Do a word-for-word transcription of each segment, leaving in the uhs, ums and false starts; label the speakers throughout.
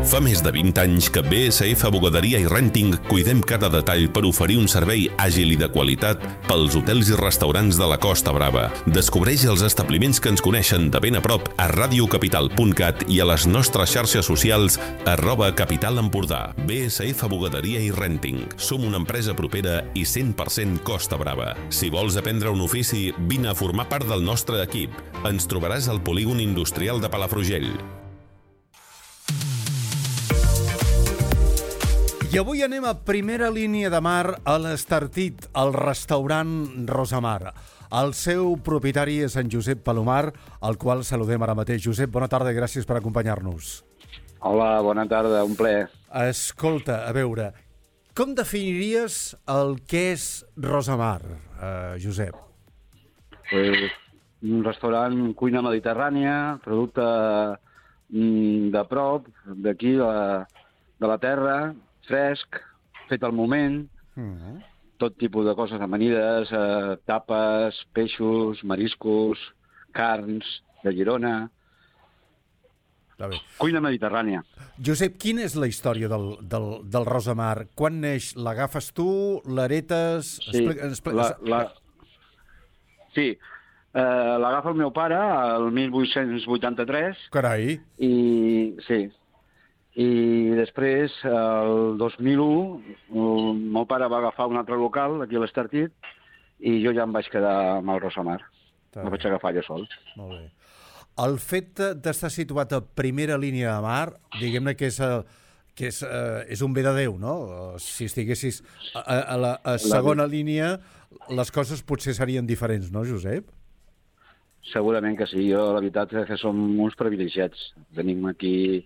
Speaker 1: Fa més de vint anys que B S F Bugaderia i Renting cuidem cada detall per oferir un servei àgil i de qualitat pels hotels i restaurants de la Costa Brava. Descobreix els establiments que ens coneixen de ben a prop a radiocapital punt cat i a les nostres xarxes socials arroba Capital Empordà. B S F Bugaderia i Renting. Som una empresa propera i cent per cent Costa Brava. Si vols aprendre un ofici, vine a formar part del nostre equip. Ens trobaràs al polígon industrial de Palafrugell.
Speaker 2: I avui anem a primera línia de mar a l'Estartit, al restaurant Rosamar. El seu propietari és en Josep Palomar, al qual saludem ara mateix. Josep, bona tarda i gràcies per acompanyar-nos.
Speaker 3: Hola, bona tarda, un plaer.
Speaker 2: Escolta, a veure, com definiries el que és Rosamar, eh, Josep?
Speaker 3: Pues, un restaurant cuina mediterrània, producte mm, de prop, d'aquí, de, de la terra, fresc, fet al moment, uh-huh. Tot tipus de coses amanides, eh, tapes, peixos, mariscos, carns, de Girona... Cuina mediterrània.
Speaker 2: Josep, quina és la història del, del, del Rosamar? Quan neix? L'agafes tu? L'heretes?
Speaker 3: Sí, Explica, explica... La, la... sí. Uh, l'agafa el meu pare el mil vuit-cents vuitanta-tres.
Speaker 2: Carai!
Speaker 3: I, sí, i després, el dos mil u, el meu pare va agafar un altre local, aquí a l'Estartit, i jo ja em vaig quedar amb el Rosamar. Em vaig agafar jo sol.
Speaker 2: Molt bé. El fet d'estar situat a primera línia de mar, diguem-ne que és, que és, és un bé de Déu, no? Si estiguessis a, a la a segona la... línia, les coses potser serien diferents, no, Josep?
Speaker 3: Segurament que sí. Jo, la veritat, és que som uns privilegiats. Tenim aquí...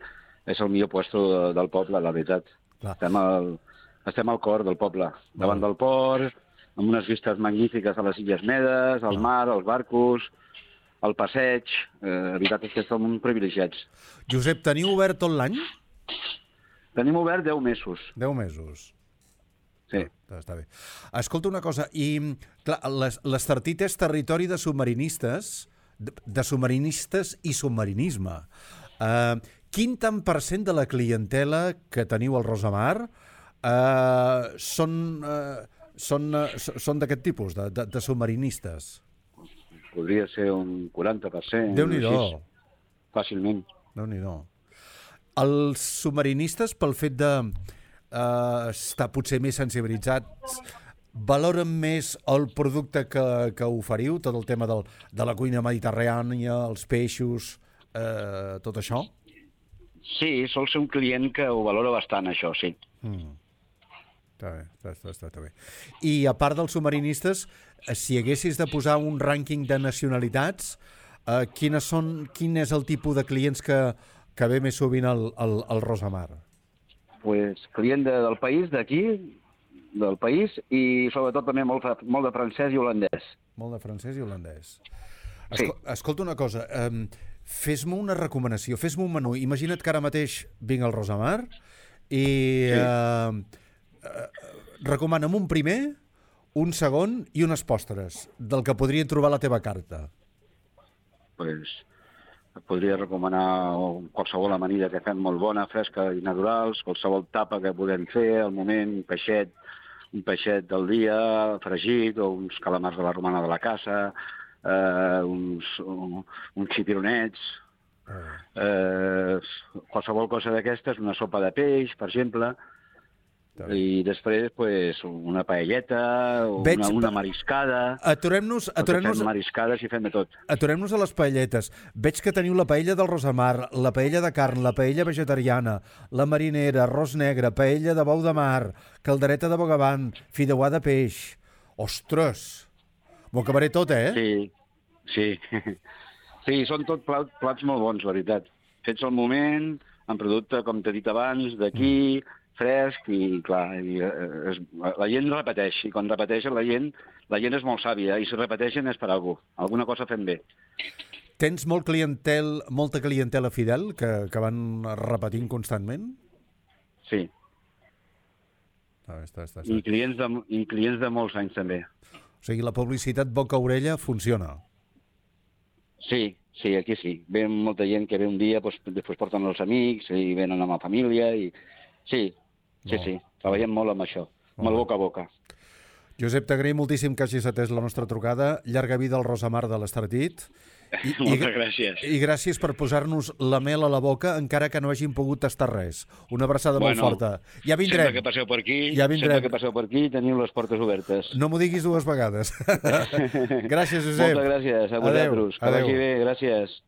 Speaker 3: És el millor puesto del poble, la veritat. Estem al, estem al cor del poble, davant del port, amb unes vistes magnífiques a les Illes Medes, al mar, als barcos, al passeig. Eh, la veritat és que som uns privilegiats.
Speaker 2: Josep, teniu obert tot l'any?
Speaker 3: Tenim obert deu mesos.
Speaker 2: Deu mesos.
Speaker 3: Sí.
Speaker 2: Ah, està bé. Escolta una cosa, i clar, l'Estartit és territori de submarinistes, de, de submarinistes i submarinisme. Uh, quin tant per cent de la clientela que teniu al Rosamar uh, són, uh, són, uh, són d'aquest tipus, de, de, de submarinistes?
Speaker 3: Podria ser un quaranta per cent.
Speaker 2: Déu-n'hi-do.
Speaker 3: Fàcilment.
Speaker 2: Déu-n'hi-do. Els submarinistes, pel fet de uh, estar potser més sensibilitzats, valoren més el producte que, que oferiu, tot el tema del, de la cuina mediterrània, els peixos, eh, tot això?
Speaker 3: Sí, sol ser un client que ho valora bastant, això, sí.
Speaker 2: Mm. Està bé, està, està, està bé. I a part dels submarinistes, si haguessis de posar un rànquing de nacionalitats, eh, quines són, quin és el tipus de clients que, que ve més sovint al, al, al Rosamar?
Speaker 3: Pues client de, del país, d'aquí, del país, i sobretot també molt, molt de francès i holandès.
Speaker 2: Molt de francès i holandès. Escol sí. Escolta una cosa, eh, fes-me una recomanació, fes-me un menú. Imagina't que ara mateix vinc al Rosamar i sí. eh, eh, recomana'm un primer, un segon i unes postres del que podrien trobar a la teva carta.
Speaker 3: Pues, et podria recomanar qualsevol amanida que fem molt bona, fresca i naturals, qualsevol tapa que podem fer al moment, un peixet, un peixet del dia, fregit, o uns calamars de la romana de la casa, Uh, uns, uh, uns xipironets, uh, qualsevol cosa d'aquestes, una sopa de peix, per exemple, i després pues, una paelleta,
Speaker 2: Veig...
Speaker 3: una, una mariscada.
Speaker 2: Aturem-nos... Aturem-nos...
Speaker 3: Fem mariscades i fem de tot.
Speaker 2: Aturem-nos a les paelletes. Veig que teniu la paella del Rosamar, la paella de carn, la paella vegetariana, la marinera, arròs negre, paella de bou de mar, caldereta de bogavant, fideuà de peix. Ostres! M'ho acabaré tot, eh?
Speaker 3: Sí, sí. Sí, són tot plats, plats molt bons, la veritat. Fets al moment, en producte, com t'he dit abans, d'aquí, mm. fresc, i clar, i, es, la gent repeteix, i quan repeteixen la gent, la gent és molt sàvia, i si repeteixen és per alguna cosa. Alguna cosa fem bé.
Speaker 2: Tens molt clientel, molta clientela fidel, que, que van repetint constantment?
Speaker 3: Sí.
Speaker 2: Ah, està, està, està.
Speaker 3: I, clients de, I clients de molts anys, també.
Speaker 2: O sigui, la publicitat boca-orella funciona.
Speaker 3: Sí, Sí, aquí sí. Ve molta gent que ve un dia, doncs, després porten els amics i venen amb la família. I... Sí, sí,
Speaker 2: Molt.
Speaker 3: sí. Treballem molt amb això, amb el boca a boca.
Speaker 2: Josep, t'agraïm moltíssim que hagis atès la nostra trucada. Llarga vida al Rosamar de l'Estartit. I,
Speaker 3: Moltes gràcies.
Speaker 2: I gràcies per posar-nos la mel a la boca, encara que no hàgim pogut tastar res. Una abraçada
Speaker 3: Bueno,
Speaker 2: molt forta. Ja vindrem.
Speaker 3: Sempre que passeu per aquí,
Speaker 2: Ja vindrem.
Speaker 3: sempre que passeu per aquí, teniu les portes obertes.
Speaker 2: No m'ho diguis dues vegades. Gràcies, Josep.
Speaker 3: Moltes gràcies a vosaltres. Que
Speaker 2: Adéu.
Speaker 3: vagi bé, gràcies.